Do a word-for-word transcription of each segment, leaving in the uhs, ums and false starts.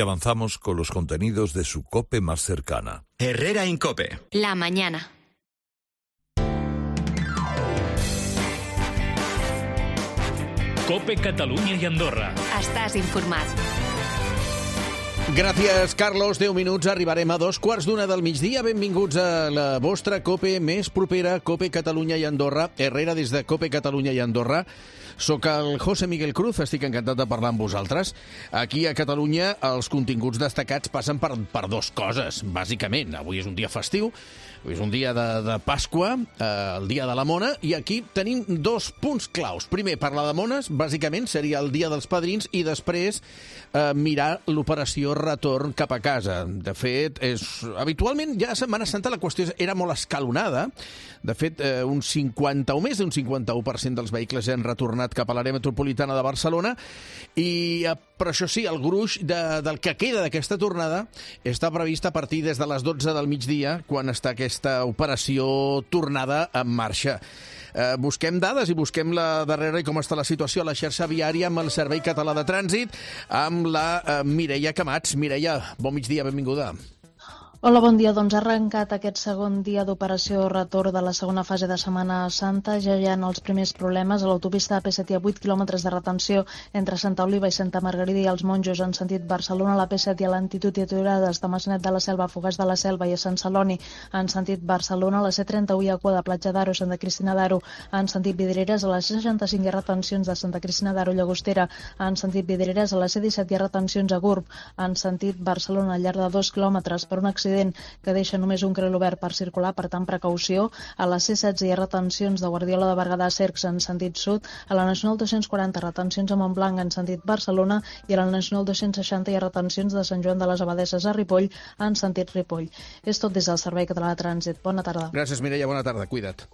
Avanzamos con los contenidos de su COPE más cercana. Herrera Incope. La mañana. COPE Catalunya i Andorra. Estàs informat. Gràcies, Carlos. deu minuts, arribarem a dos quarts d'una del migdia. Benvinguts a la vostra COPE més propera, COPE Catalunya i Andorra. Herrera des de COPE Catalunya i Andorra. Soc el José Miguel Cruz, estic encantat de parlar amb vosaltres. Aquí a Catalunya els continguts destacats passen per, per dos coses, bàsicament. Avui és un dia festiu, avui és un dia de, de Pasqua, eh, el dia de la Mona, i aquí tenim dos punts claus. Primer, parlar de mones, bàsicament seria el dia dels padrins, i després eh, mirar l'operació retorn cap a casa. De fet, és, habitualment ja a Setmana Santa la qüestió era molt escalonada. De fet, eh, un cinquanta o més d'un cinquanta-u per cent dels vehicles ja han retornat cap a l'àrea metropolitana de Barcelona, i eh, però això sí, el gruix de, del que queda d'aquesta tornada està previst a partir des de les dotze del migdia, quan està aquesta operació tornada en marxa. Eh, busquem dades i busquem la darrera i com està la situació a la xarxa viària amb el Servei Català de Trànsit, amb la eh, Mireia Camats. Mireia, bon migdia, benvinguda. Hola, bon dia. Doncs ha arrencat aquest segon dia d'operació retorn de la segona fase de Setmana Santa. Ja hi ha els primers problemes. A l'autopista A P set hi ha vuit quilòmetres de retenció entre Santa Oliva i Santa Margarida i els Monjos en sentit Barcelona. A l'A P set hi ha lentitud i aturades de Maçanet de la Selva a Fogars de la Selva i a Sant Celoni en sentit Barcelona. A la C trenta-u hi ha cua de Platja d'Aro, Santa Cristina d'Aro en sentit Vidreres. A la C seixanta-cinc hi ha retencions de Santa Cristina d'Aro, Llagostera en sentit Vidreres. A la C disset hi ha retencions a Gurb en sentit Barcelona al llarg de dos quilòmetres per un accident que deixa només un carril obert per circular, per tant precaució. A la C setze hi ha retencions de Guardiola de Berguedà a Cercs en sentit sud, a la Nacional dos-cents quaranta retencions a Montblanc en sentit Barcelona i a la Nacional dos-cents seixanta hi ha retencions de Sant Joan de les Abadesses a Ripoll en sentit Ripoll. És tot des del Servei Català de Trànsit. Bona tarda. Gràcies, Mireia. Bona tarda. Cuida't.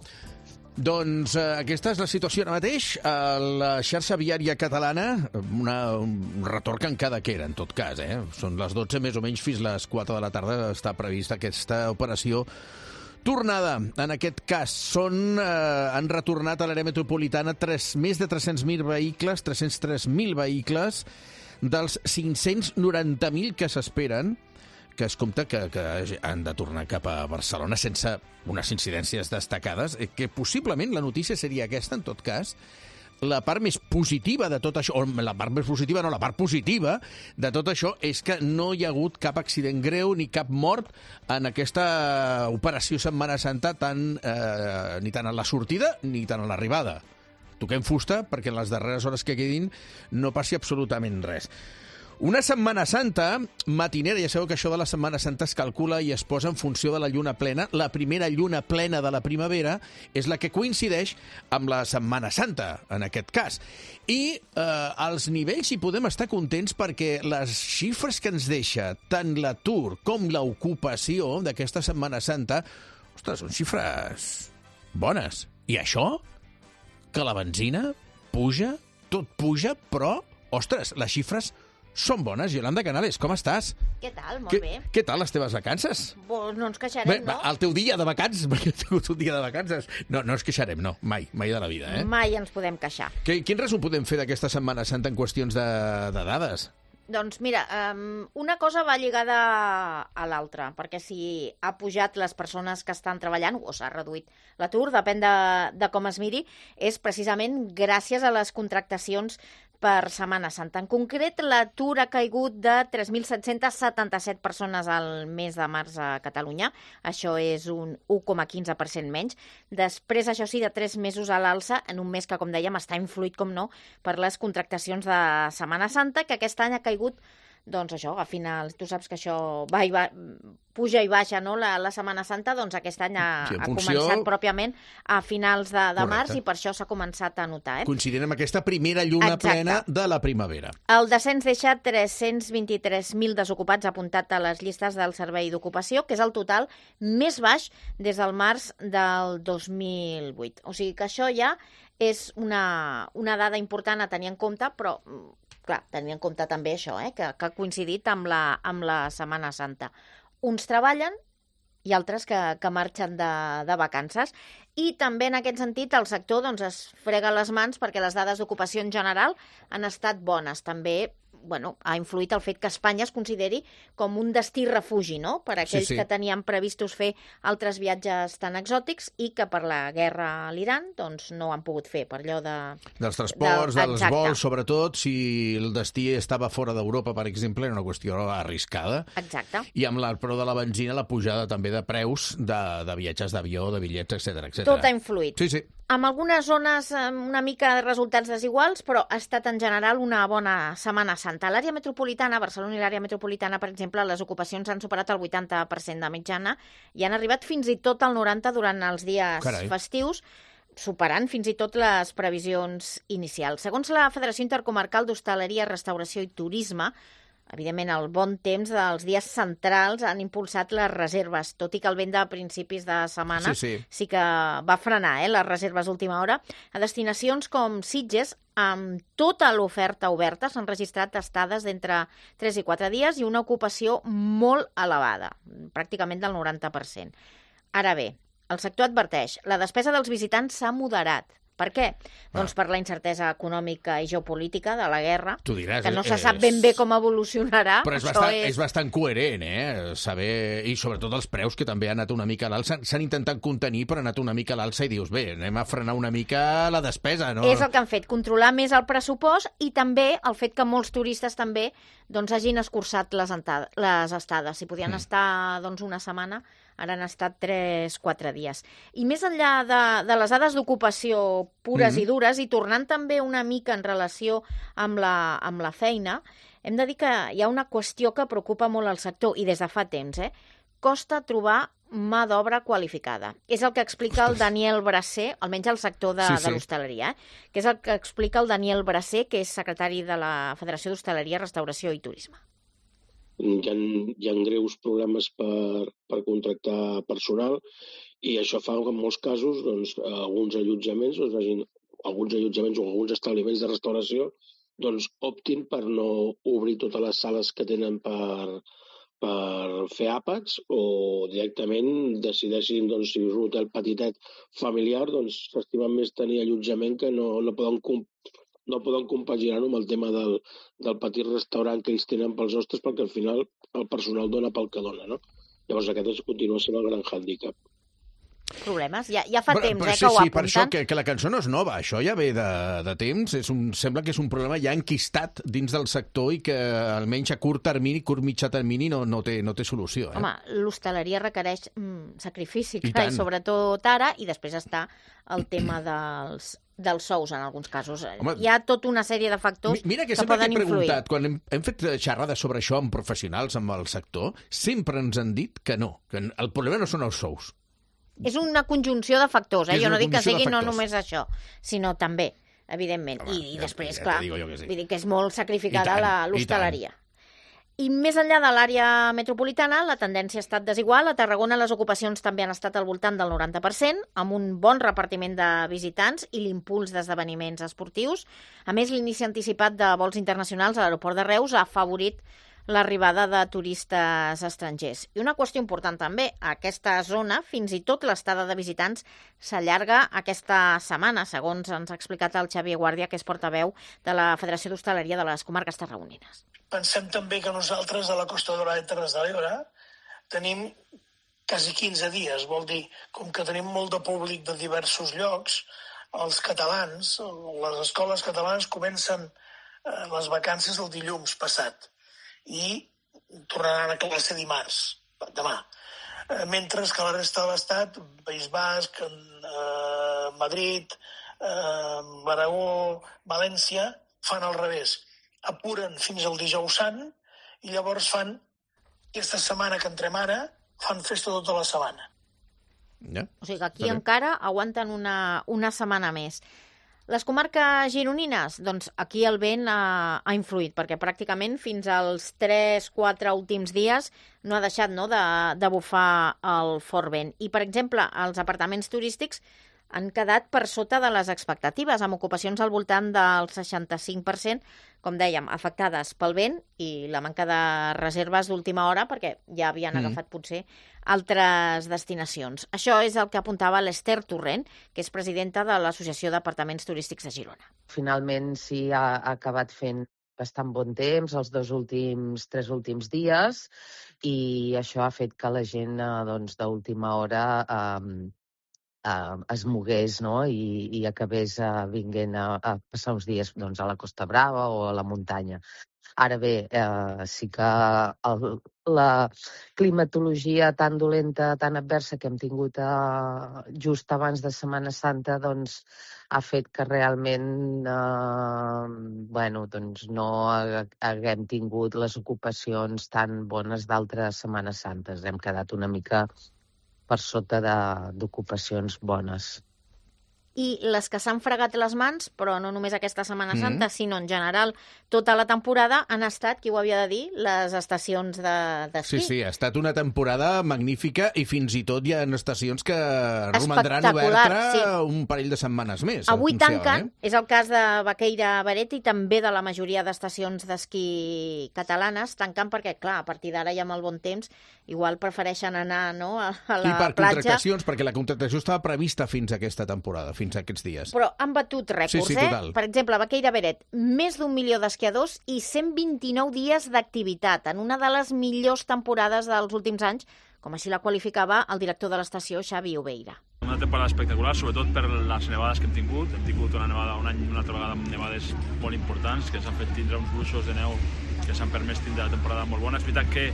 Doncs eh, aquesta és la situació ara mateix a la xarxa viària catalana, una, un retorn que encara queda, en tot cas. Eh? Són les dotze, més o menys, fins les quatre de la tarda està prevista aquesta operació tornada. En aquest cas, són, eh, han retornat a l'àrea metropolitana tres, més de tres-cents mil vehicles, tres-cents tres mil vehicles, dels cinc-cents noranta mil que s'esperen, que es compta que, que han de tornar cap a Barcelona sense unes incidències destacades, que possiblement la notícia seria aquesta, en tot cas. La part més positiva de tot això, o la part més positiva, no, la part positiva de tot això és que no hi ha hagut cap accident greu ni cap mort en aquesta operació Setmana Santa, tant, eh, ni tant a la sortida ni tant a l'arribada. Toquem fusta perquè en les darreres hores que quedin no passi absolutament res. Una Setmana Santa matinera, ja sabeu que això de la Setmana Santa es calcula i es posa en funció de la lluna plena. La primera lluna plena de la primavera és la que coincideix amb la Setmana Santa, en aquest cas. I eh, als nivells hi podem estar contents perquè les xifres que ens deixa tant l'atur com l'ocupació d'aquesta Setmana Santa, ostres, són xifres bones. I això? Que la benzina puja, tot puja, però, ostres, les xifres són bones. Yolanda Canales, com estàs? Què tal? Molt Què, bé. què tal les teves vacances? Pues no ens queixarem, Bé, no? el teu dia de vacances, perquè he tingut un dia de vacances. No, no ens queixarem, no, mai, mai de la vida, eh? Mai ens podem queixar. Que, quin resum podem fer d'aquesta Setmana Santa en qüestions de, de dades? Doncs mira, um, una cosa va lligada a l'altra, perquè si ha pujat les persones que estan treballant o s'ha reduït l'atur, depèn de, de com es miri, és precisament gràcies a les contractacions per Setmana Santa. En concret, l'atur ha caigut de tres mil set-cents setanta-set persones al mes de març a Catalunya. Això és un u coma quinze per cent menys. Després, això sí, de tres mesos a l'alça, en un mes que, com dèiem, està influït, com no, per les contractacions de Setmana Santa, que aquest any ha caigut, doncs això, a finals, tu saps que això va i va, puja i baixa, no?, la, la Setmana Santa, doncs aquest any ha, Sí, en ha funció- començat pròpiament a finals de, de Correcte. març i per això s'ha començat a notar, eh? Coincidint amb aquesta primera lluna Exacte. plena de la primavera. El descens deixa tres-cents vint-i-tres mil desocupats apuntat a les llistes del Servei d'Ocupació, que és el total més baix des del març del dos mil vuit. O sigui que això ja és una, una dada important a tenir en compte, però, clar, tenir en compte també això, eh, que, que ha coincidit amb la, amb la Setmana Santa. Uns treballen i altres que, que marxen de, de vacances. I també en aquest sentit el sector doncs, es frega les mans perquè les dades d'ocupació en general han estat bones. També bueno, ha influït el fet que Espanya es consideri com un destí refugi, no?, per a aquells Sí, sí. que tenien previstos fer altres viatges tan exòtics i que per la guerra a l'Iran doncs, no han pogut fer, per allò de... Dels transports, del- dels exacte. vols, sobretot, si el destí estava fora d'Europa, per exemple, era una qüestió arriscada. Exacte. I amb el preu de la benzina, la pujada també de preus de, de viatges d'avió, de bitllets, etcètera, etcètera. Tot ha influït. Sí, sí. Amb algunes zones amb una mica de resultats desiguals, però ha estat en general una bona Setmana Santa. A l'àrea metropolitana, Barcelona i l'àrea metropolitana, per exemple, les ocupacions han superat el vuitanta per cent de mitjana i han arribat fins i tot al noranta per cent durant els dies Carai. festius, superant fins i tot les previsions inicials. Segons la Federació Intercomarcal d'Hostaleria, Restauració i Turisme, evidentment, el bon temps dels dies centrals han impulsat les reserves, tot i que el vent de principis de setmana Sí, sí. sí que va frenar eh, les reserves d'última hora. A destinacions com Sitges, amb tota l'oferta oberta, s'han registrat estades d'entre tres i quatre dies i una ocupació molt elevada, pràcticament del noranta per cent. Ara bé, el sector adverteix, la despesa dels visitants s'ha moderat. Per què? Doncs per la incertesa econòmica i geopolítica de la guerra, Tu diràs, que no se és- sap ben bé com evolucionarà. Però és Això bastant, és bastant coherent, eh? Saber... I sobretot els preus, que també han anat una mica a l'alça. S'han intentat contenir, però han anat una mica a l'alça i dius, bé, anem a frenar una mica la despesa, no? És el que han fet, controlar més el pressupost i també el fet que molts turistes també doncs, hagin escurçat les, entada, les estades. Si podien mm. estar doncs, una setmana, ara han estat tres quatre dies. I més enllà de, de les dades d'ocupació pures mm. i dures, i tornant també una mica en relació amb la, amb la feina, hem de dir que hi ha una qüestió que preocupa molt el sector, i des de fa temps, eh? Costa trobar mà d'obra qualificada. És el que explica el Daniel Bracer, almenys al sector de, Sí, de sí. l'hostaleria, eh? que és el que explica el Daniel Bracer, que és secretari de la Federació d'Hostaleria, Restauració i Turisme. Hi ha, hi ha greus problemes per, per contractar personal i això fa que en molts casos doncs, alguns allotjaments, doncs, hagin, alguns allotjaments o alguns establiments de restauració doncs, optin per no obrir totes les sales que tenen per, per fer àpats o directament decideixin, doncs, si és un hotel petitet familiar, doncs s'estimen més tenir allotjament que no, no poden complir no poden compaginar-ho amb el tema del, del petit restaurant que ells tenen pels hostes perquè al final el personal dona pel que dona, no? Llavors aquest és, continua sent el gran hàndicap. Problemes? Ja, ja fa Però- temps però eh, sí, que ho sí, apunten. per això que, que la cançó no és nova, això ja ve de, de temps, és un, sembla que és un problema ja enquistat dins del sector i que almenys a curt termini, curt mitjà termini, no, no, té, no té solució. Eh? Home, l'hostaleria requereix mm, sacrifici, I clar, i tant. sobretot ara, i després està el tema dels, dels sous, en alguns casos. Home, Hi ha tota una sèrie de factors Mi- Mira que que sempre que poden he influir. preguntat, quan hem, hem fet xerrades sobre això amb professionals, amb el sector, sempre ens han dit que no, que el problema no són els sous. És una conjunció de factors, eh? És Jo una no dic que conjunció de sigui no factors. només això, sinó també, evidentment. Home, I, i ja- després, ja clar, te digo jo que sí. vull dir que és molt sacrificada I tant, la- i l'hostaleria. I més enllà de l'àrea metropolitana, la tendència ha estat desigual. A Tarragona les ocupacions també han estat al voltant del noranta per cent, amb un bon repartiment de visitants i l'impuls d'esdeveniments esportius. A més, l'inici anticipat de vols internacionals a l'aeroport de Reus ha afavorit l'arribada de turistes estrangers. I una qüestió important també, a aquesta zona, fins i tot l'estada de visitants s'allarga aquesta setmana, segons ens ha explicat el Xavier Guàrdia, que és portaveu de la Federació d'Hostaleria de les Comarques Tarragonines. Pensem també que nosaltres a la Costa Daurada i Terres de l'Ebre tenim quasi quinze dies, vol dir, com que tenim molt de públic de diversos llocs, els catalans, les escoles catalanes comencen eh, les vacances el dilluns passat i tornaran a classe dimarts, demà. Eh, mentre que la resta de l'Estat, País Basc, eh, Madrid, eh, l'Aragó, València, fan al revés. Apuren fins al dijous sant i llavors fan, aquesta setmana que entrem ara, fan festa tota la setmana. Ja? O sigui que aquí Està bé. encara aguanten una, una setmana més. Les comarques gironines, doncs aquí el vent ha, ha influït, perquè pràcticament fins als tres quatre últims dies no ha deixat no, de, de bufar el fort vent. I, per exemple, els apartaments turístics han quedat per sota de les expectatives, amb ocupacions al voltant del seixanta-cinc per cent, com dèiem, afectades pel vent i la manca de reserves d'última hora, perquè ja havien Mm. agafat potser altres destinacions. Això és el que apuntava l'Ester Torrent, que és presidenta de l'Associació d'Apartaments Turístics de Girona. Finalment sí ha, ha acabat fent bastant bon temps els dos últims, tres últims dies, i això ha fet que la gent eh, doncs, d'última hora eh, eh, es mogués, no? I, i acabés eh, vinguent a, a passar uns dies doncs, a la Costa Brava o a la muntanya. Ara bé, eh, sí que el, la climatologia tan dolenta, tan adversa que hem tingut eh, just abans de Setmana Santa doncs, ha fet que realment eh, bueno, doncs no haguem tingut les ocupacions tan bones d'altres Setmanes Santes. Hem quedat una mica per sota d'ocupacions bones. I les que s'han fregat les mans, però no només aquesta Setmana Mm. Santa, sinó en general tota la temporada, han estat, qui ho havia de dir, les estacions de- d'esquí. Sí, sí, ha estat una temporada magnífica i fins i tot hi ha estacions que romandran Espectacular, obertes sí. un parell de setmanes més. Avui anunciaven, tanquen, Eh? és el cas de Baqueira Beret i també de la majoria d'estacions d'esquí catalanes, tanquen perquè, clar, a partir d'ara ja amb el bon temps, igual prefereixen anar no, a, a la I per platja. contractacions, perquè la contractació estava prevista fins a aquesta temporada, fins a aquests dies. Però han batut rècords, Sí, sí, total. eh? Per exemple, a Baqueira Beret, més d'un milió d'esquiadors i cent vint-i-nou dies d'activitat, en una de les millors temporades dels últims anys, com així la qualificava el director de l'estació, Xavi Obeira. Una temporada espectacular, sobretot per les nevades que hem tingut. Hem tingut una nevada un any una altra vegada amb nevades molt importants que ens han fet tindre uns gruixos de neu que s'han permès tindre la temporada molt bona. És veritat que,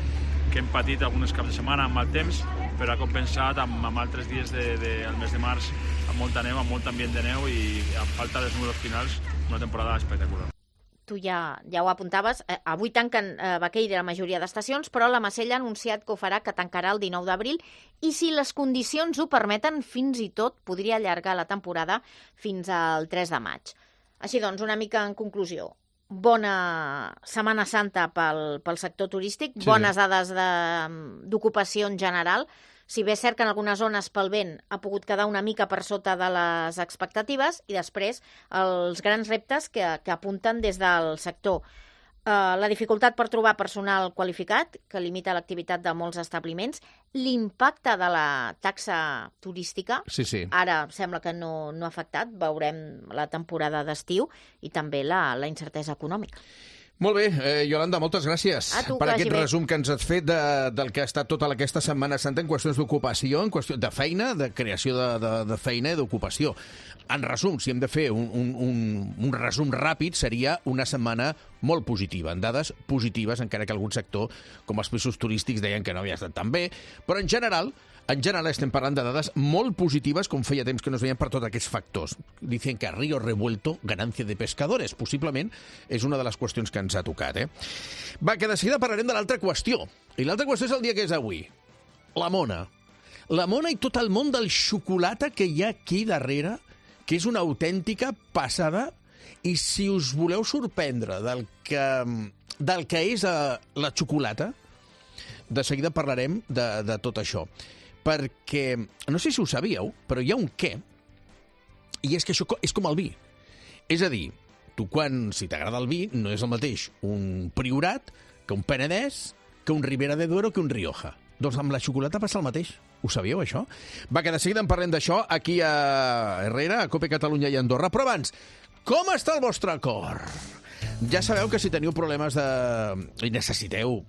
que hem patit algunes caps de setmana amb mal temps, però ha compensat amb, amb altres dies de, de, al mes de març amb molta neu, amb molt ambient de neu i a falta dels números finals, una temporada espectacular. Tu ja, ja ho apuntaves, eh, avui tanquen eh, Baqueira la majoria d'estacions, però la Macella ha anunciat que ho farà, que tancarà el dinou d'abril, i si les condicions ho permeten, fins i tot podria allargar la temporada fins al tres de maig. Així doncs, una mica en conclusió, bona Setmana Santa pel, pel sector turístic, Sí. bones dades de- d'ocupació en general. Si bé és cert que en algunes zones pel vent ha pogut quedar una mica per sota de les expectatives, i després els grans reptes que, que apunten des del sector. Uh, la dificultat per trobar personal qualificat, que limita l'activitat de molts establiments, l'impacte de la taxa turística, Sí, sí. ara sembla que no, no ha afectat, veurem la temporada d'estiu, i també la, la incertesa econòmica. Molt bé, eh, Iolanda, moltes gràcies A tu, per que aquest vagi bé. resum que ens has fet de, del que ha estat tota aquesta Setmana Santa en qüestions d'ocupació, en qüestió de feina, de creació de, de, de feina i d'ocupació. En resum, si hem de fer un, un, un, un resum ràpid, seria una setmana molt positiva, en dades positives, encara que algun sector, com els pisos turístics, deien que no havia estat tan bé, però en general... En general estem parlant de dades molt positives, com feia temps que no es veien per tots aquests factors. Dicen que río revuelto, ganancia de pescadores. Possiblement és una de les qüestions que ens ha tocat. Eh? Va, que de seguida parlarem de l'altra qüestió. I l'altra qüestió és el dia que és avui. La mona. La mona i tot el món del xocolata que hi ha aquí darrere, que és una autèntica passada. I si us voleu sorprendre del que, del que és uh, la xocolata, de seguida parlarem de, de tot això. Perquè, no sé si ho sabíeu, però hi ha un què, i és que això és com el vi. És a dir, tu quan, si t'agrada el vi, no és el mateix un Priorat que un Penedès, que un Ribera de Duero, que un Rioja. Doncs amb la xocolata passa el mateix. Ho sabíeu, això? Va, que de seguida en parlem d'això aquí a Herrera, a Cope Catalunya i Andorra. Però abans, com està el vostre cor? Ja sabeu que si teniu problemes de... i necessiteu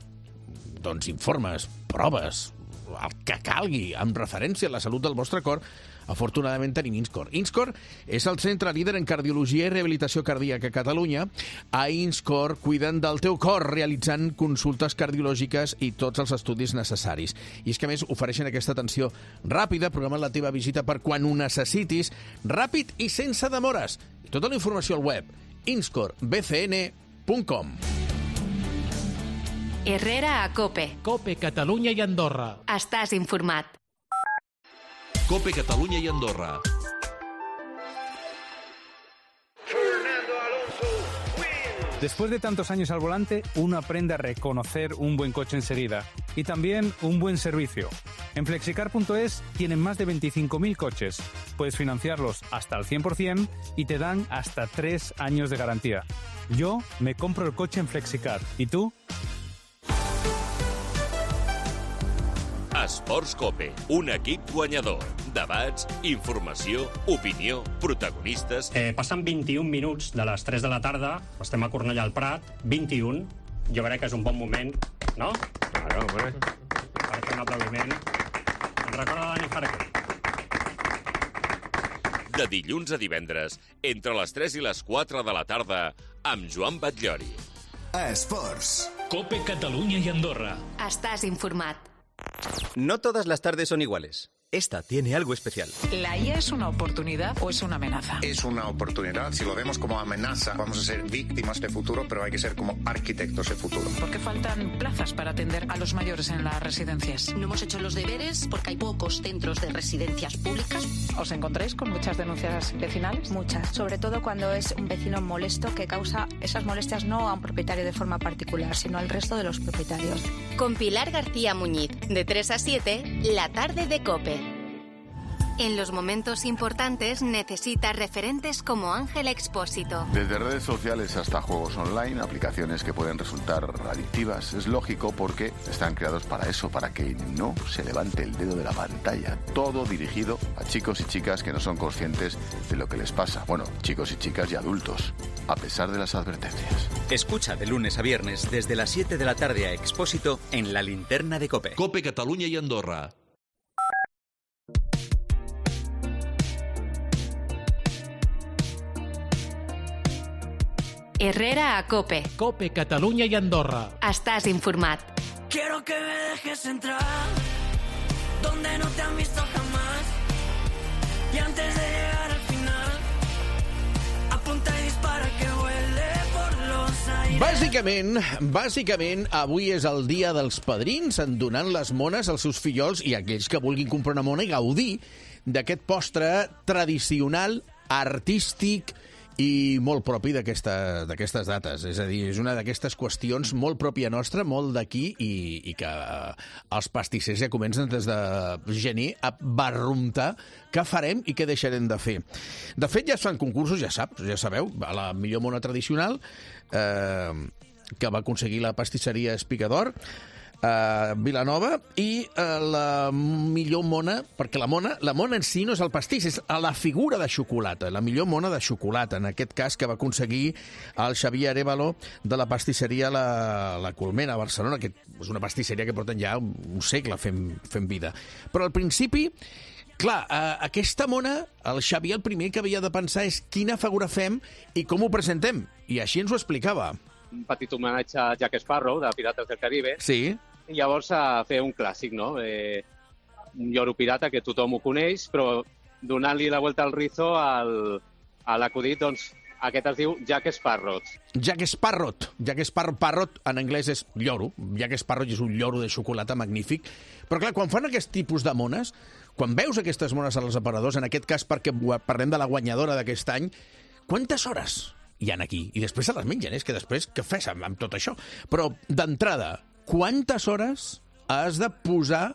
doncs, informes, proves, el que calgui, amb referència a la salut del vostre cor, afortunadament tenim INSCOR. INSCOR és el centre líder en cardiologia i rehabilitació cardíaca a Catalunya. A INSCOR cuiden del teu cor realitzant consultes cardiològiques i tots els estudis necessaris. I és que, a més, ofereixen aquesta atenció ràpida, programant la teva visita per quan ho necessitis, ràpid i sense demores. Tota la informació al web inscor b c n punt com. Herrera a Cope. Cope Catalunya i Andorra. Estàs informat. Cope Catalunya y Andorra. Después de tantos años al volante, uno aprende a reconocer un buen coche enseguida y también un buen servicio. En flexicar punto es tienen más de veinticinco mil coches. Puedes financiarlos hasta al cien por ciento y te dan hasta tres años de garantía. Yo me compro el coche en Flexicar. ¿Y tú? Esports Cope, un equip guanyador. Debats, informació, opinió, protagonistes... Eh, passen vint-i-un minuts de les tres de la tarda, estem a Cornellà al Prat, vint-i-un. Jo crec que és un bon moment, no? Claro, hombre. Per fer un aplaudiment. Ens recorda Dani Jarque. De dilluns a divendres, entre les tres i les quatre de la tarda, amb Joan Batllori. Esports. Cope Catalunya y Andorra. Estás informat. No todas las tardes son iguales. Esta tiene algo especial. ¿La I A es una oportunidad o es una amenaza? Es una oportunidad. Si lo vemos como amenaza, vamos a ser víctimas de futuro, pero hay que ser como arquitectos de futuro. ¿Por qué faltan plazas para atender a los mayores en las residencias? No hemos hecho los deberes porque hay pocos centros de residencias públicas. ¿Os encontráis con muchas denuncias vecinales? Muchas, sobre todo cuando es un vecino molesto que causa esas molestias no a un propietario de forma particular, sino al resto de los propietarios. Con Pilar García Muñiz, de tres a siete, la tarde de COPE. En los momentos importantes necesitas referentes como Ángel Expósito. Desde redes sociales hasta juegos online, aplicaciones que pueden resultar adictivas. Es lógico porque están creados para eso, para que no se levante el dedo de la pantalla. Todo dirigido a chicos y chicas que no son conscientes de lo que les pasa. Bueno, chicos y chicas y adultos, a pesar de las advertencias. Escucha de lunes a viernes desde las siete de la tarde a Expósito en la linterna de COPE. COPE Catalunya y Andorra. Herrera a COPE. COPE Catalunya y Andorra. Estás informat. Quiero que me dejes entrar donde no te han visto jamás. Y antes de llegar al final, apunta y dispara que huele por los aires. Bàsicament, bàsicament, avui és el dia dels padrins en donant les mones als seus fillols i aquells que vulguin comprar una mona i gaudir d'aquest postre tradicional, artístic i molt propi d'aquesta, d'aquestes dates. És a dir, és una d'aquestes qüestions molt pròpia nostra, molt d'aquí, i, i que els pastissers ja comencen des de gener a barruntar què farem i què deixarem de fer. De fet, ja es fan concursos, ja saps, ja sabeu, a la millor mona tradicional, eh, que va aconseguir la pastisseria Espicador, a Vilanova, i uh, la millor mona, perquè la mona, la mona en si no és el pastís, és la figura de xocolata, la millor mona de xocolata, en aquest cas que va aconseguir el Xavier Arévalo de la pastisseria La, la Colmena a Barcelona, que és una pastisseria que porten ja un, un segle fent, fent vida. Però al principi, clar, uh, aquesta mona, el Xavier el primer que havia de pensar és quina figura fem i com ho presentem, i així ens ho explicava. Un petit homenatge a Jack Sparrow, de Pirates del Caribe. Sí. I llavors a fer un clàssic, no? Eh, un lloro pirata que tothom ho coneix, però donant-li la volta al rizo al, a l'acudit, doncs aquest es diu Jack Sparrow. Jack Sparrow. Jack Sparrow, parrot en anglès és lloro. Jack Sparrow és un lloro de xocolata magnífic. Però clar, quan fan aquest tipus de mones, quan veus aquestes mones als aparadors, en aquest cas perquè parlem de la guanyadora d'aquest any, quantes hores hi ha aquí? I després se les mengen, és que després què fes amb, amb tot això? Però d'entrada, quantes hores has de posar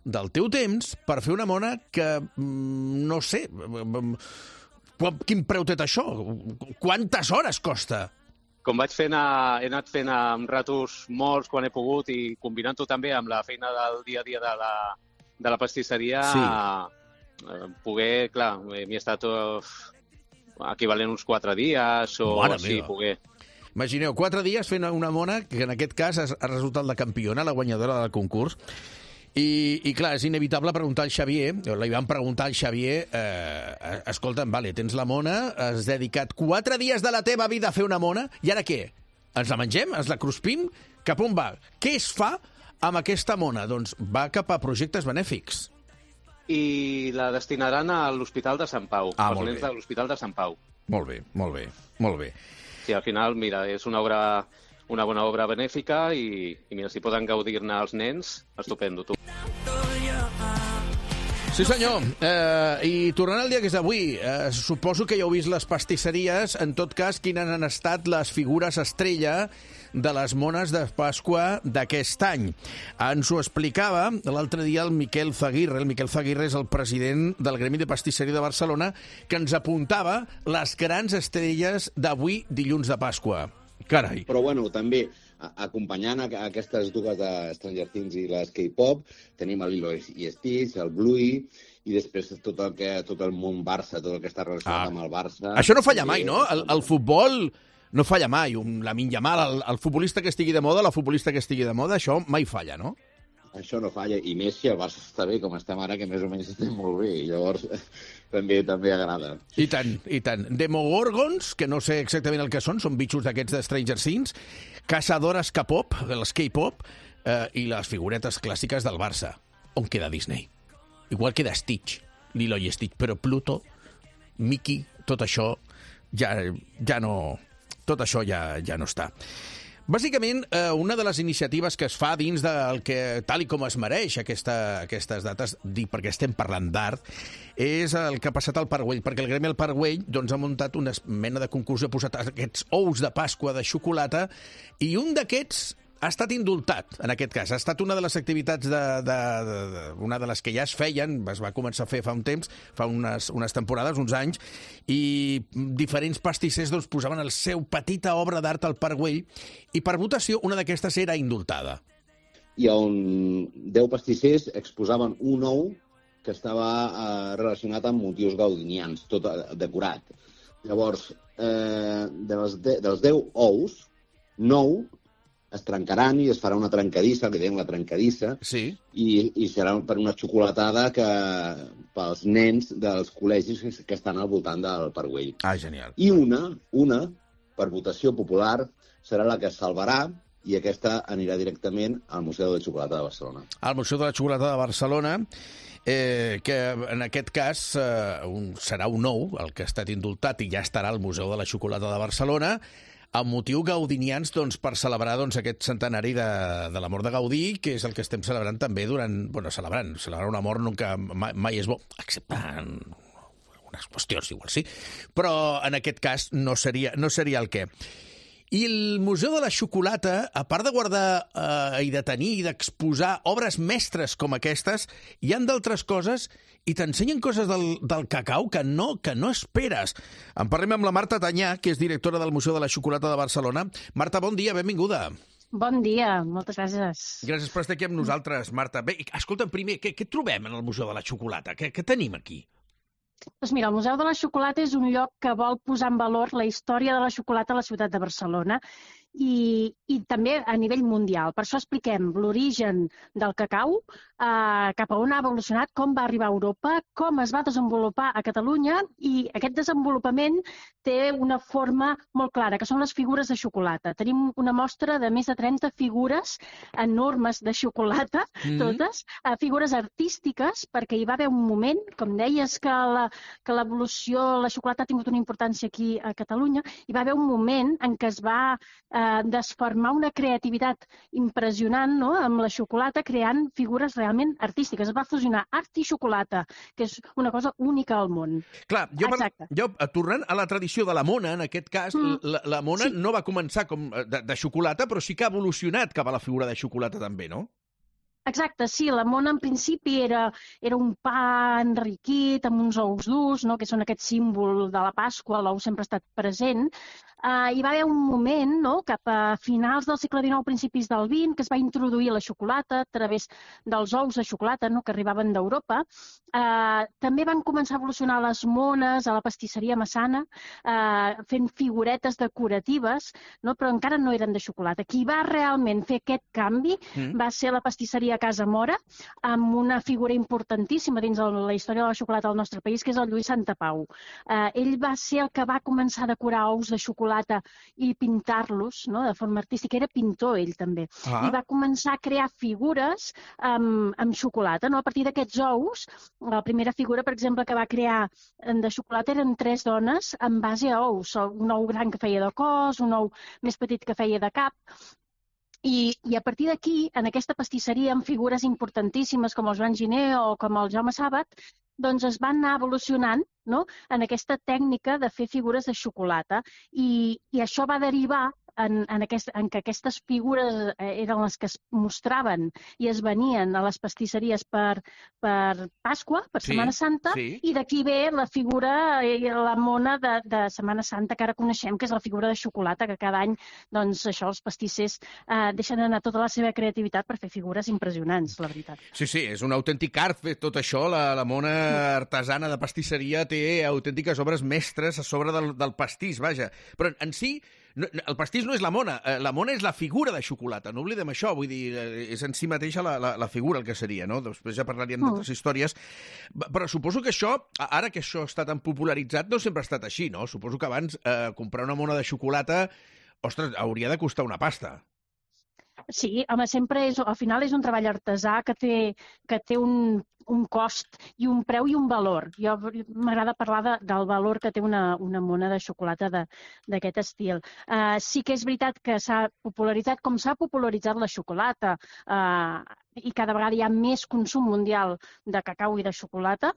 del teu temps per fer una mona que, no sé, quin preu té això? Quantes hores costa? Com vaig fent, a, he anat fent amb ratos molts quan he pogut i combinant-ho també amb la feina del dia a dia de la, de la pastisseria, sí. a, poder, clar, m'hi he estat uh, equivalent uns quatre dies o Mare així, meva. poder... Imagineu, quatre dies fent una mona que en aquest cas ha resultat la campiona, la guanyadora del concurs. I, i clar, és inevitable preguntar al Xavier, o li van preguntar al Xavier, eh, escolta'm, vale, tens la mona, has dedicat quatre dies de la teva vida a fer una mona, i ara què? Ens la mengem? Ens la cruspim? Cap on va? Què es fa amb aquesta mona? Doncs va cap a projectes benèfics. I la destinaran a l'Hospital de Sant Pau, ah, als nens de l'Hospital de Sant Pau. Molt bé, molt bé, molt bé. Sí, al final, mira, és una obra, una bona obra benèfica i, i mira, si poden gaudir-ne els nens, estupendo, tu. Sí, senyor. Eh, I tornant al dia que és d'avui, eh, suposo que ja heu vist les pastisseries. En tot cas, quines han estat les figures estrella de les mones de Pasqua d'aquest any. Ens ho explicava l'altre dia el Miquel Zaguirre. El Miquel Zaguirre és el president del Gremi de Pastisseria de Barcelona, que ens apuntava les grans estrelles d'avui, dilluns de Pasqua. Carai. Però, bueno, també acompanyant aquestes dues de Stranger Things i les K-pop, tenim el Lilo i Stitch, el Bluey, i després tot el, que, tot el món Barça, tot el que està relacionat ah. amb el Barça. Això no falla mai, no? El, el futbol no falla mai. Un Lamine Yamal, el, el futbolista que estigui de moda, la futbolista que estigui de moda, això mai falla, no? Això no falla, i més si el Barça està bé, com estem ara, que més o menys estem molt bé, i llavors també també agrada. I tant, i tant. Demogorgons, que no sé exactament el que són, són bitxos d'aquests de Stranger Things, caçadores K-pop, els K-pop, eh, i les figuretes clàssiques del Barça. On queda Disney? Igual queda Stitch, Lilo i Stitch, però Pluto, Mickey, tot això ja, ja no... Tot això ja, ja no està. Bàsicament, eh, una de les iniciatives que es fa dins del que, tal i com es mereix aquesta, aquestes dates, dic perquè estem parlant d'art, és el que ha passat al Parc Güell, perquè el Gremi al Parc Güell doncs, ha muntat una mena de concurs, ha posat aquests ous de Pasqua de xocolata, i un d'aquests ha estat indultat, en aquest cas. Ha estat una de les activitats, de, de, de, de, una de les que ja es feien, es va començar a fer fa un temps, fa unes, unes temporades, uns anys, i diferents pastissers doncs, posaven el seu petita obra d'art al Parc Güell, i per votació una d'aquestes era indultada. I on deu pastissers exposaven un ou que estava eh, relacionat amb motius gaudinians, tot decorat. Llavors, eh, dels, de, dels deu ous, nou es trencaran i es farà una trencadissa, que diem la trencadissa, sí. i, i serà per una xocolatada que, pels nens dels col·legis que estan al voltant del Parc Güell. Ah, genial. I una, una, per votació popular, serà la que es salvarà, i aquesta anirà directament al Museu de la Xocolata de Barcelona. Al Museu de la Xocolata de Barcelona, eh, que en aquest cas eh, un, serà un ou, el que ha estat indultat, i ja estarà al Museu de la Xocolata de Barcelona, amb motiu gaudinians, doncs, per celebrar doncs, aquest centenari de, de la mort de Gaudí, que és el que estem celebrant també durant... Bueno, celebrant, celebrar una mort nunca, mai, mai és bo, excepte en algunes qüestions, igual sí, però en aquest cas no seria, no seria el què. I el Museu de la Xocolata, a part de guardar eh, i de tenir i d'exposar obres mestres com aquestes, hi han d'altres coses i t'ensenyen coses del, del cacau que no, que no esperes. En parlem amb la Marta Tanyà, que és directora del Museu de la Xocolata de Barcelona. Marta, bon dia, benvinguda. Bon dia, moltes gràcies. Gràcies per estar aquí amb nosaltres, Marta. Bé, escolta'm, primer, què, què trobem en el Museu de la Xocolata? Què, què tenim aquí? Doncs mira, el Museu de la Xocolata és un lloc que vol posar en valor la història de la xocolata a la ciutat de Barcelona i, i també a nivell mundial. Per això expliquem l'origen del cacau, eh, cap a on ha evolucionat, com va arribar a Europa, com es va desenvolupar a Catalunya, i aquest desenvolupament té una forma molt clara, que són les figures de xocolata. Tenim una mostra de més de trenta figures enormes de xocolata, mm-hmm. totes, eh, figures artístiques, perquè hi va haver un moment, com deies, que la que l'evolució, la xocolata ha tingut una importància aquí a Catalunya, hi va haver un moment en què es va eh, desfermar una creativitat impressionant, no?, amb la xocolata, creant figures realment artístiques. Es va fusionar art i xocolata, que és una cosa única al món. Clar, jo, per, jo tornant a la tradició de la mona, en aquest cas, mm. la, la mona sí. no va començar com de, de xocolata, però sí que ha evolucionat cap a la figura de xocolata també, no? Exacte, sí, la mona en principi era, era un pa enriquit amb uns ous durs, no?, que són aquest símbol de la Pasqua, l'ou sempre ha estat present. Uh, hi va haver un moment, no?, cap a finals del segle dinou, principis del vint, que es va introduir la xocolata a través dels ous de xocolata, no?, que arribaven d'Europa. Uh, també van començar a evolucionar les mones a la pastisseria Massana, uh, fent figuretes decoratives, no?, però encara no eren de xocolata. Qui va realment fer aquest canvi mm. va ser la pastisseria Casa Mora, amb una figura importantíssima dins la història de la xocolata del nostre país, que és el Lluís Santapau. Uh, ell va ser el que va començar a decorar ous de xocolata i pintar-los, no?, de forma artística. Era pintor, ell també. Ah. I va començar a crear figures amb, amb xocolata, no? A partir d'aquests ous, la primera figura, per exemple, que va crear de xocolata eren tres dones en base a ous. Un ou gran que feia de cos, un ou més petit que feia de cap. I, i a partir d'aquí, en aquesta pastisseria, amb figures importantíssimes com el Joan Giner o com el Jaume Sàbat, doncs es van anar evolucionant, no?, en aquesta tècnica de fer figures de xocolata. I, i això va derivar en, en, aquest, en que aquestes figures eren les que es mostraven i es venien a les pastisseries per, per Pasqua, per Sí, Setmana Santa, sí. i d'aquí ve la figura, eh, la mona de, de Setmana Santa que ara coneixem, que és la figura de xocolata, que cada any, doncs, això, els pastissers eh, deixen anar tota la seva creativitat per fer figures impressionants, la veritat. Sí, sí, és un autèntic art fer tot això. La, la mona artesana de pastisseria té autèntiques obres mestres a sobre del, del pastís, vaja. Però en si, no, el pastís no és la mona, eh, la mona és la figura de xocolata, no oblidem això, vull dir, eh, és en si mateixa la, la, la figura el que seria, no? Després ja parlaríem Mm. d'altres històries. Però suposo que això, ara que això està tan popularitzat, no sempre ha estat així, no? Suposo que abans eh, comprar una mona de xocolata, ostres, hauria de costar una pasta. Sí, home, sempre és, al final és un treball artesà que té, que té un, un cost i un preu i un valor. Jo m'agrada parlar de, del valor que té una, una mona de xocolata d'aquest estil. Uh, sí que és veritat que s'ha popularitzat, com s'ha popularitzat la xocolata, uh, i cada vegada hi ha més consum mundial de cacau i de xocolata,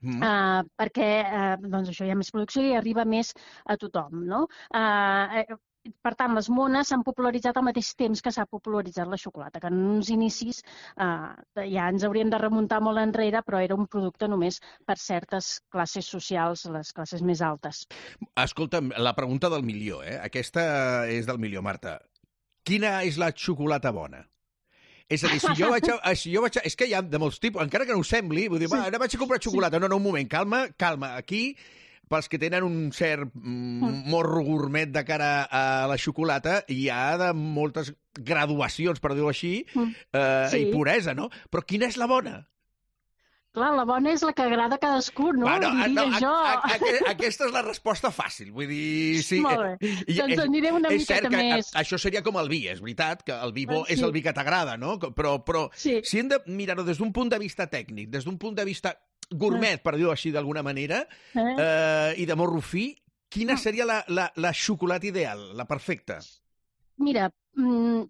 Mm. Uh, perquè uh, doncs això hi ha més producció i arriba més a tothom, no? Uh, per tant, les mones s'han popularitzat al mateix temps que s'ha popularitzat la xocolata, que en uns inicis uh, ja ens hauríem de remuntar molt enrere, però era un producte només per certes classes socials, les classes més altes. Escolta'm, la pregunta del milió, eh? Aquesta és del milió, Marta. Quina és la xocolata bona? És a dir, si jo vaig a, si jo vaig a... És que hi ha de molts tipus, encara que no ho sembli, vull dir, va, ara vaig a comprar xocolata. No, no, un moment, calma, calma. Aquí, pels que tenen un cert mm, morro gourmet de cara a la xocolata, hi ha de moltes graduacions, per dir-ho així, eh, Sí. i puresa, no? Però quina és la bona? Clar, la bona és la que agrada a cadascú, no? Bueno, Diria no, jo. a, a, a, aquesta és la resposta fàcil. Vull dir, sí. Molt bé. I- Doncs és- aniré una és miqueta cert que més. a- això seria com el vi, és veritat, que el vi bo Ah, sí. és el vi que t'agrada, no? Però, però Sí. si hem de mirar-ho des d'un punt de vista tècnic, des d'un punt de vista gourmet, per dir-ho així d'alguna manera, Eh? eh, i de morro fi, quina seria la, la, la xocolata ideal, la perfecta? Mira, mm,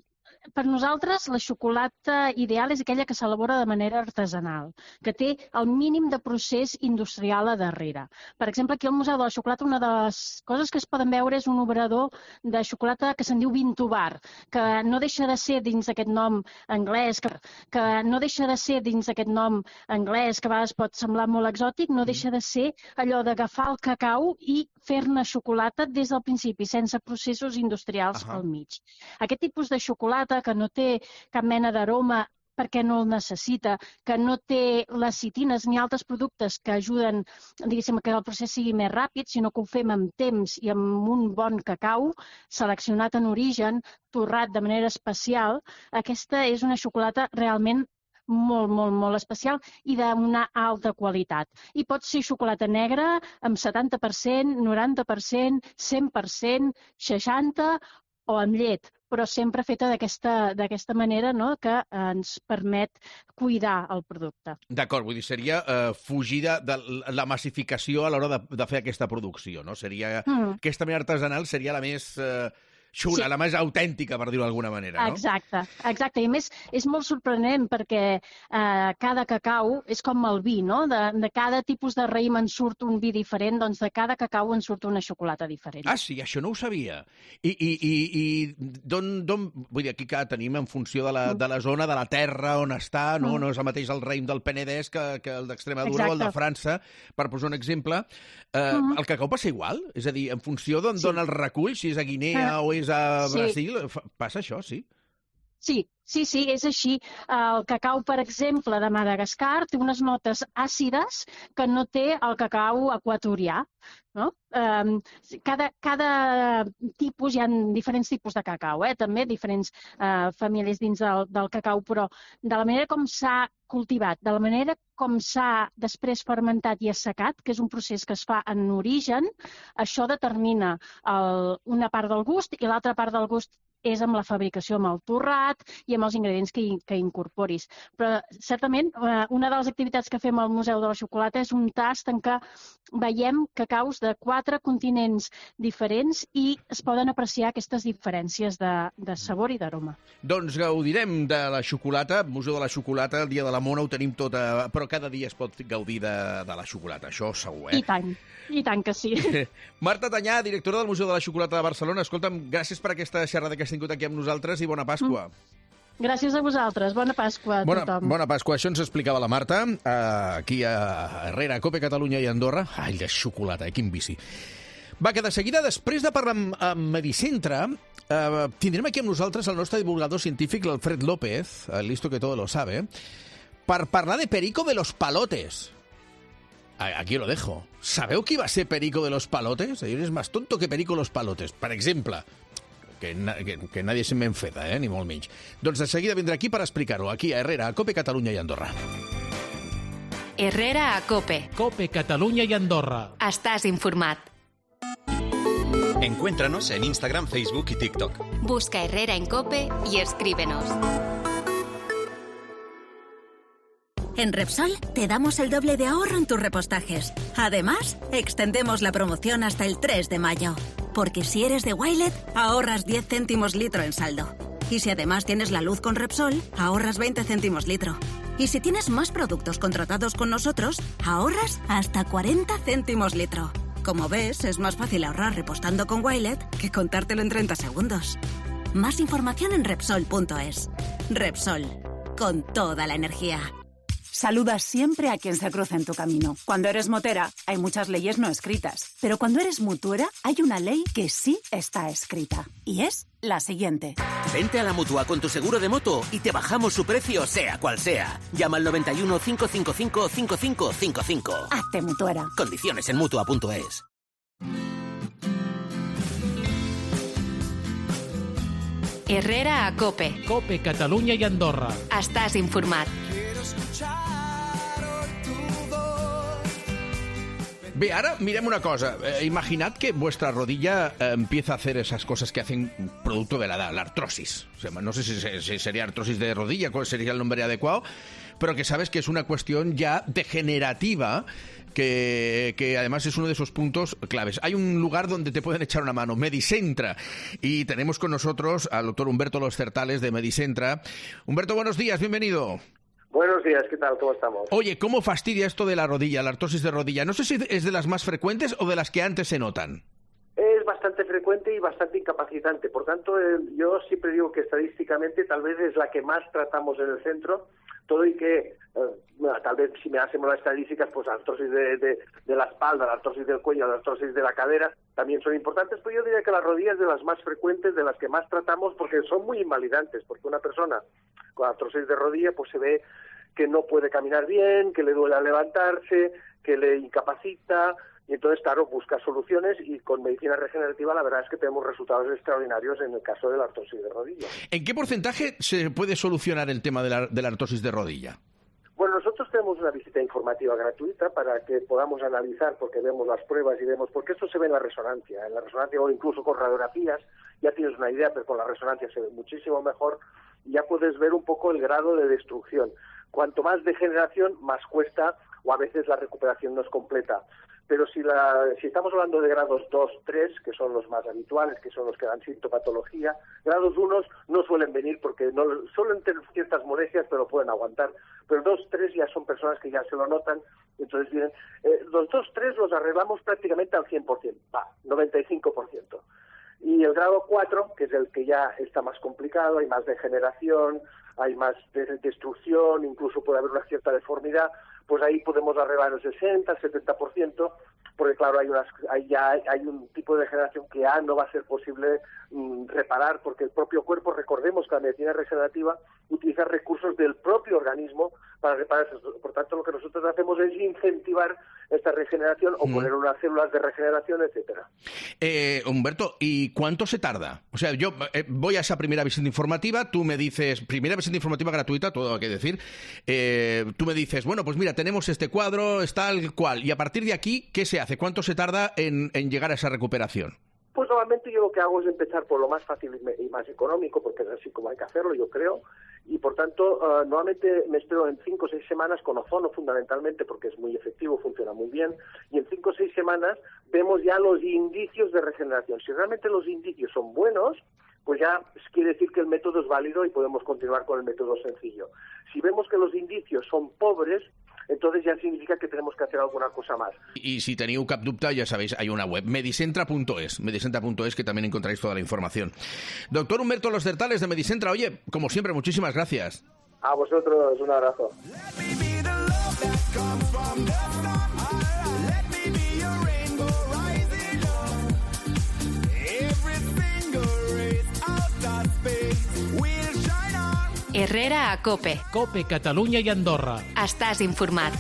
per nosaltres la xocolata ideal és aquella que s'elabora de manera artesanal, que té el mínim de procés industrial a darrere. Per exemple, aquí al Museu de la Xocolata una de les coses que es poden veure és un obrador de xocolata que se'n diu Vintubar, que no deixa de ser dins d'aquest nom anglès, que, que no deixa de ser dins d'aquest nom anglès, que a vegades pot semblar molt exòtic, no deixa de ser allò d'agafar el cacau i fer-ne xocolata des del principi, sense processos industrials Ahà. al mig. Aquest tipus de xocolata que no té cap mena d'aroma perquè no el necessita, que no té lecitines ni altres productes que ajuden, diguéssim, que el procés sigui més ràpid, sinó que ho fem amb temps i amb un bon cacau, seleccionat en origen, torrat de manera especial. Aquesta és una xocolata realment molt, molt, molt especial i d'una alta qualitat. I pot ser xocolata negra amb setanta per cent, noranta per cent, cent per cent, seixanta per cent o amb llet, però sempre feta d'aquesta d'aquesta manera, no?, que ens permet cuidar el producte. D'acord, vull dir, seria eh, fugir de, de la massificació a l'hora de, de fer aquesta producció, no? Seria, Mm. aquesta manera artesanal seria la més eh, xula, Sí. la més autèntica, per dir-ho d'alguna manera, no? Exacte, exacte. I a més, és molt sorprenent perquè eh, cada cacau és com el vi, no? De, de cada tipus de raïm en surt un vi diferent, doncs de cada cacau en surt una xocolata diferent. Ah, sí, això no ho sabia. I, i, i, i d'on, d'on... Vull dir, aquí que tenim en funció de la, de la zona, de la terra on està, no? Mm. No és el mateix el raïm del Penedès que, que el d'Extremadura o el de Exacte. França, per posar un exemple. Eh, Mm. El cacau passa igual? És a dir, en funció d'on Sí. d'on el recull, si és a Guinea Ah, o és a sí. Brasil, fa- passa això, sí? Sí, sí, sí, és així. El cacau, per exemple, de Madagascar té unes notes àcides que no té el cacau equatorià, no? Um, cada, cada tipus, hi ha diferents tipus de cacau, eh? També diferents uh, famílies dins del, del cacau, però de la manera com s'ha cultivat, de la manera com s'ha després fermentat i assecat, que és un procés que es fa en origen, això determina el, una part del gust i l'altra part del gust és amb la fabricació amb el torrat i amb els ingredients que, que incorporis. Però, certament, una de les activitats que fem al Museu de la Xocolata és un tast en què veiem cacaus de quatre continents diferents i es poden apreciar aquestes diferències de, de sabor i d'aroma. Doncs gaudirem de la xocolata, Museu de la Xocolata, el dia de la Mona ho tenim tot, a... però cada dia es pot gaudir de, de la xocolata, això segur, eh? I tant, i tant que sí. Marta Tanyà, directora del Museu de la Xocolata de Barcelona, escolta'm, gràcies per aquesta xerrada que has tingut aquí amb nosaltres i bona Pasqua. Mm. Gràcies a vosaltres. Bona Pasqua a bona, tothom. Bona Pasqua. Això ens explicava la Marta, eh, aquí a Herrera, a Cope, Catalunya i Andorra. Ai, de xocolata, eh? Quin vici. Va, que de seguida, després de parlar amb, amb Medicentre, eh, tindrem aquí amb nosaltres el nostre divulgador científic, l'Alfred López, el listo que todo lo sabe, per parlar de Perico de los Palotes. Aquí lo dejo. ¿Sabeu qui va ser Perico de los Palotes? És més tonto que Perico de los Palotes. Per exemple, que, na que, que nadie se me enfeda, eh? Ni molt menys. Doncs de seguida vindrà aquí per explicar-ho, aquí a Herrera, a Cope, Catalunya i Andorra. Herrera a Cope. Cope, Catalunya i Andorra. Estàs informat. Encuéntranos en Instagram, Facebook y TikTok. Busca Herrera en Cope y escríbenos. En Repsol te damos el doble de ahorro en tus repostajes. Además, extendemos la promoción hasta el tres de mayo. Porque si eres de Wilet, ahorras diez céntimos litro en saldo. Y si además tienes la luz con Repsol, ahorras veinte céntimos litro. Y si tienes más productos contratados con nosotros, ahorras hasta cuarenta céntimos litro. Como ves, es más fácil ahorrar repostando con Wilet que contártelo en treinta segundos. Más información en Repsol punto es. Repsol, con toda la energía. Saludas siempre a quien se cruza en tu camino. Cuando eres motera, hay muchas leyes no escritas. Pero cuando eres mutuera, hay una ley que sí está escrita. Y es la siguiente. Vente a la Mutua con tu seguro de moto y te bajamos su precio, sea cual sea. Llama al noventa y uno, cinco cinco cinco, cinco cinco cinco cinco. Hazte mutuera. Condiciones en Mutua punto es. Herrera a Cope. Cope, Catalunya i Andorra. Estàs informat. Bé, ara mirem una cosa. Eh, imaginad que vuestra rodilla eh, empieza a hacer esas cosas que hacen producto de la edad, la artrosis. O sea, no sé si, si sería artrosis de rodilla, cuál sería el nombre adecuado, pero que sabes que es una cuestión ya degenerativa, que, que además es uno de esos puntos claves. Hay un lugar donde te pueden echar una mano, Medicentra, y tenemos con nosotros al doctor Humberto Los Certales de Medicentra. Humberto, buenos días, bienvenido. Buenos días, ¿qué tal? ¿Cómo estamos? Oye, ¿cómo fastidia esto de la rodilla, la artrosis de rodilla? No sé si es de las más frecuentes o de las que antes se notan. Es bastante frecuente y bastante incapacitante. Por tanto, eh, yo siempre digo que estadísticamente tal vez es la que más tratamos en el centro, todo y que, eh, bueno, tal vez si me hacemos las estadísticas, pues la artrosis de, de, de la espalda, la artrosis del cuello, la artrosis de la cadera, también son importantes, pero yo diría que la rodilla es de las más frecuentes, de las que más tratamos, porque son muy invalidantes, porque una persona con artrosis de rodilla pues se ve que no puede caminar bien, que le duele al levantarse, que le incapacita, y entonces, claro, busca soluciones, y con medicina regenerativa la verdad es que tenemos resultados extraordinarios en el caso de la artrosis de rodilla. ¿En qué porcentaje se puede solucionar el tema de la, de la artrosis de rodilla? Bueno, nosotros tenemos una visita informativa gratuita para que podamos analizar, porque vemos las pruebas y vemos, porque esto se ve en la resonancia, en la resonancia o incluso con radiografías, ya tienes una idea, pero con la resonancia se ve muchísimo mejor, y ya puedes ver un poco el grado de destrucción. Cuanto más degeneración, más cuesta, o a veces la recuperación no es completa. Pero si, la, si estamos hablando de grados dos, tres, que son los más habituales, que son los que dan sintomatología, grados uno no suelen venir porque no suelen tener ciertas molestias, pero pueden aguantar. Pero dos, tres ya son personas que ya se lo notan, entonces vienen. Eh, los dos, tres los arreglamos prácticamente al cien por ciento, va, noventa y cinco por ciento. Y el grado cuatro, que es el que ya está más complicado, hay más degeneración, hay más de destrucción, incluso puede haber una cierta deformidad, pues ahí podemos arreglar el sesenta, setenta por ciento, porque claro, hay, unas, hay ya hay un tipo de degeneración que ya no va a ser posible mm, reparar, porque el propio cuerpo, recordemos que la medicina regenerativa utiliza recursos del propio organismo para reparar eso. Por tanto, lo que nosotros hacemos es incentivar esta regeneración o mm. poner unas células de regeneración, etcétera. Eh, Humberto, ¿y cuánto se tarda? O sea, yo eh, voy a esa primera visita informativa, tú me dices, primera visita informativa gratuita, todo hay que decir, eh, tú me dices, bueno, pues mira, tenemos este cuadro, es tal cual, y a partir de aquí, ¿qué se hace? ¿Cuánto se tarda en, en llegar a esa recuperación? Pues normalmente yo lo que hago es empezar por lo más fácil y, me, y más económico, porque es así como hay que hacerlo, yo creo, y por tanto uh, normalmente me espero en cinco o seis semanas con ozono fundamentalmente, porque es muy efectivo, funciona muy bien, y en cinco o seis semanas vemos ya los indicios de regeneración. Si realmente los indicios son buenos, pues ya quiere decir que el método es válido y podemos continuar con el método sencillo. Si vemos que los indicios son pobres, entonces ya significa que tenemos que hacer alguna cosa más. Y si teniu cap dubte, ya sabéis, hay una web, medicentra punto es, medicentra punto es, que también encontráis toda la información. Doctor Humberto Los Certales de Medicentra, oye, como siempre, muchísimas gracias. A vosotros, un abrazo. Herrera a Cope. Cope, Catalunya i Andorra. Estàs informat.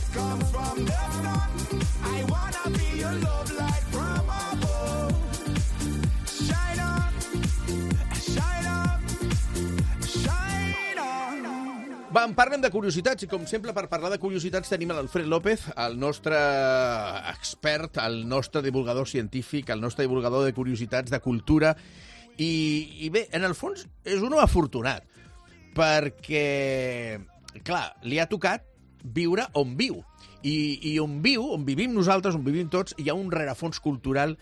Va, en parlem de curiositats i, com sempre, per parlar de curiositats tenim l'Alfred López, el nostre expert, el nostre divulgador científic, el nostre divulgador de curiositats, de cultura. I, i bé, en el fons, és un home afortunat, perquè, clar, li ha tocat viure on viu. I, i on viu, on vivim nosaltres, on vivim tots, hi ha un rerefons cultural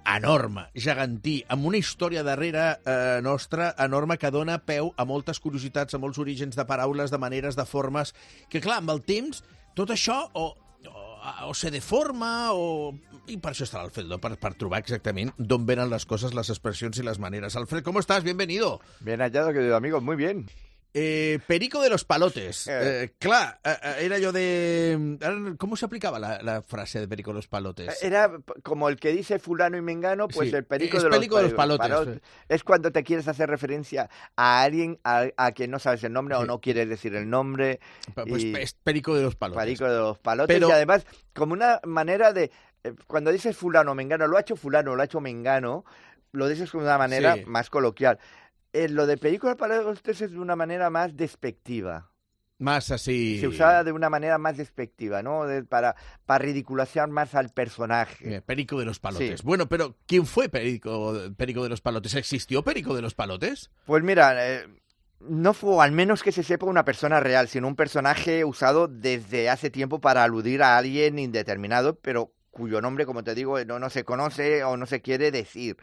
enorme, gegantí, amb una història darrere eh, nostra enorme que dona peu a moltes curiositats, a molts orígens de paraules, de maneres, de formes, que clar, amb el temps, tot això o, o, o se deforma o... I per això està l'Alfredo, per, per trobar exactament d'on venen les coses, les expressions i les maneres. Alfred, ¿cómo estás? Bienvenido. Bien hallado, querido amigo, muy bien. Eh, Perico de los palotes. Eh, clar, eh, era yo de... ¿Cómo se aplicaba la, la frase de Perico de los palotes? Era como el que dice fulano y mengano, pues sí, el perico, es de, perico los, de los palotes. palotes. Es cuando te quieres hacer referencia a alguien a, a quien no sabes el nombre, sí, o no quieres decir el nombre. Pues y... es Perico de los palotes. Perico de los palotes. Pero... Y además, como una manera de... Eh, cuando dices fulano o mengano, lo ha hecho fulano, lo ha hecho mengano, lo dices de una manera sí. más coloquial. Eh, lo de Perico de los Palotes es de una manera más despectiva. Más así... Se usaba de una manera más despectiva, ¿no? De, para, para ridiculizar más al personaje. Eh, Perico de los Palotes. Sí. Bueno, pero ¿quién fue Perico, Perico de los Palotes? ¿Existió Perico de los Palotes? Pues mira, eh, no fue, al menos que se sepa, una persona real, sino un personaje usado desde hace tiempo para aludir a alguien indeterminado, pero cuyo nombre, como te digo, no, no se conoce o no se quiere decir.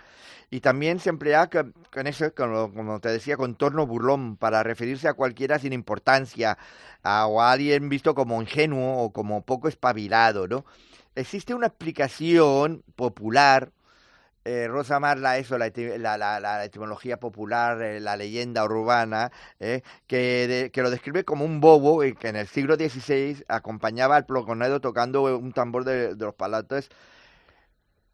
Y también se emplea con, con eso, con lo, como te decía, con torno burlón, para referirse a cualquiera sin importancia, a, o a alguien visto como ingenuo o como poco espabilado, ¿no? Existe una explicación popular, eh, Rosa Marla, eso, la, la, la, la etimología popular, eh, la leyenda urbana, eh, que, de, que lo describe como un bobo eh, que en el siglo dieciséis acompañaba al ploconedo tocando un tambor de, de los palotes.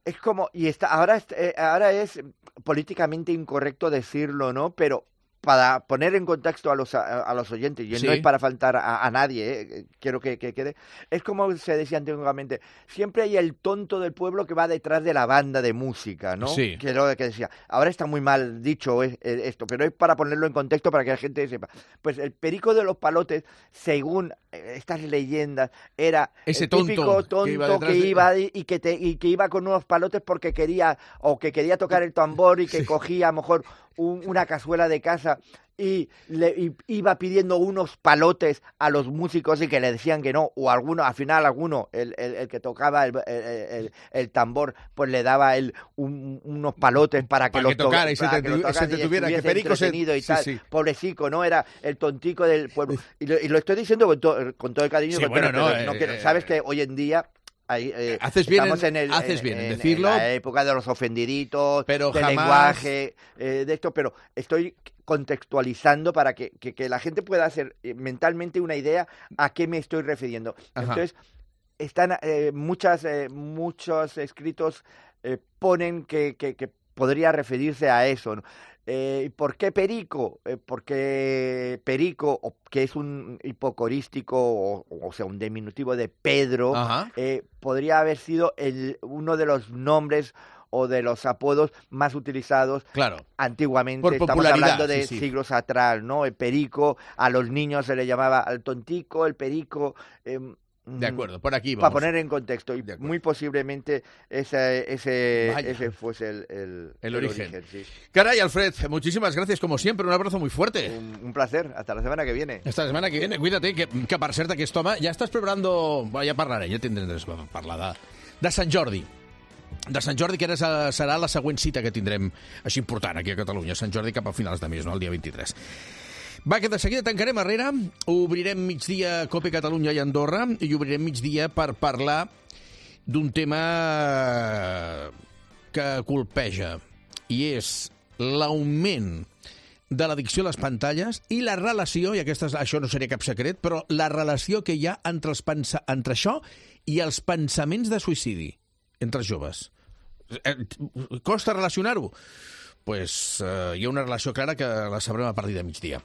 Es como, y está, ahora, eh, ahora es políticamente incorrecto decirlo, ¿no? Pero para poner en contexto a los, a, a los oyentes, y sí, no es para faltar a, a nadie, eh, quiero que, que quede, es como se decía antiguamente, siempre hay el tonto del pueblo que va detrás de la banda de música, ¿no? Sí. Que lo que decía, ahora está muy mal dicho eh, esto, pero es para ponerlo en contexto para que la gente sepa. Pues el Perico de los Palotes, según estas leyendas, era ese el típico tonto, tonto que iba, que iba de... y, que te, y que iba con unos palotes porque quería, o que quería tocar el tambor y que sí, cogía a lo mejor un, una cazuela de casa y, le, y iba pidiendo unos palotes a los músicos y que le decían que no, o alguno, al final alguno, el, el, el que tocaba el, el, el, el tambor, pues le daba él un, unos palotes para que, para los que tocara y se te, to se te tuviera, que Perico se... y sí, tal. Sí. Pobrecico, ¿no? Era el tontico del pueblo. Y lo, y lo estoy diciendo con, to, con todo el cariño. Sí, bueno, pero, no, pero eh, no quiero, eh, sabes que hoy en día... Ahí, eh, haces bien, estamos en, en, el, haces en, bien en, en decirlo. En la época de los ofendiditos, pero del jamás... lenguaje, eh, de esto, pero estoy contextualizando para que, que, que la gente pueda hacer eh, mentalmente una idea a qué me estoy refiriendo. Ajá. Entonces, están eh, muchas, eh, muchos escritos eh, ponen que, que, que podría referirse a eso, ¿no? Eh, ¿Por qué Perico? Eh, porque Perico, o, que es un hipocorístico, o, o sea, un diminutivo de Pedro, eh, podría haber sido el, uno de los nombres o de los apodos más utilizados claro, antiguamente. por Estamos hablando de sí, sí. siglos atrás, ¿no? El Perico, a los niños se le llamaba al tontico, el Perico... Eh, De acuerdo, por aquí vamos. Para poner en contexto, y muy posiblemente ese, ese, ese fuese el, el, el origen. el origen sí. Caray, Alfred, muchísimas gracias, como siempre, un abrazo muy fuerte. Un, un placer, hasta la semana que viene. Hasta la semana que viene, cuídate, que, que per cert, aquest home, ja estàs preparando... Bueno, ja parlaré, ja tindrem de parlar de, de Sant Jordi. De Sant Jordi, que ara serà la següent cita que tindrem així important aquí a Catalunya. Sant Jordi cap a finals de mes, no? El dia vint-i-tres. Va, que de seguida tancarem arrere, obrirem migdia Cope Catalunya i Andorra i obrirem migdia per parlar d'un tema que colpeja, i és l'augment de l'addicció a les pantalles i la relació, i aquesta, això no seria cap secret, però la relació que hi ha entre, els pensa, entre això i els pensaments de suïcidi entre els joves. Costa relacionar-ho? Pues, eh, hi ha una relació clara que la sabrem a partir de migdia.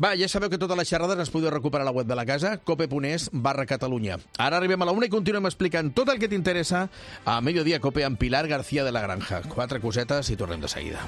Va, ja sabeu que totes les xerrades les podeu recuperar a la web de la casa, cope.es barra Catalunya. Ara arribem a la una i continuem explicant tot el que t'interessa a Mediodía Cope amb Pilar García de la Granja. Quatre cosetes i tornem de seguida.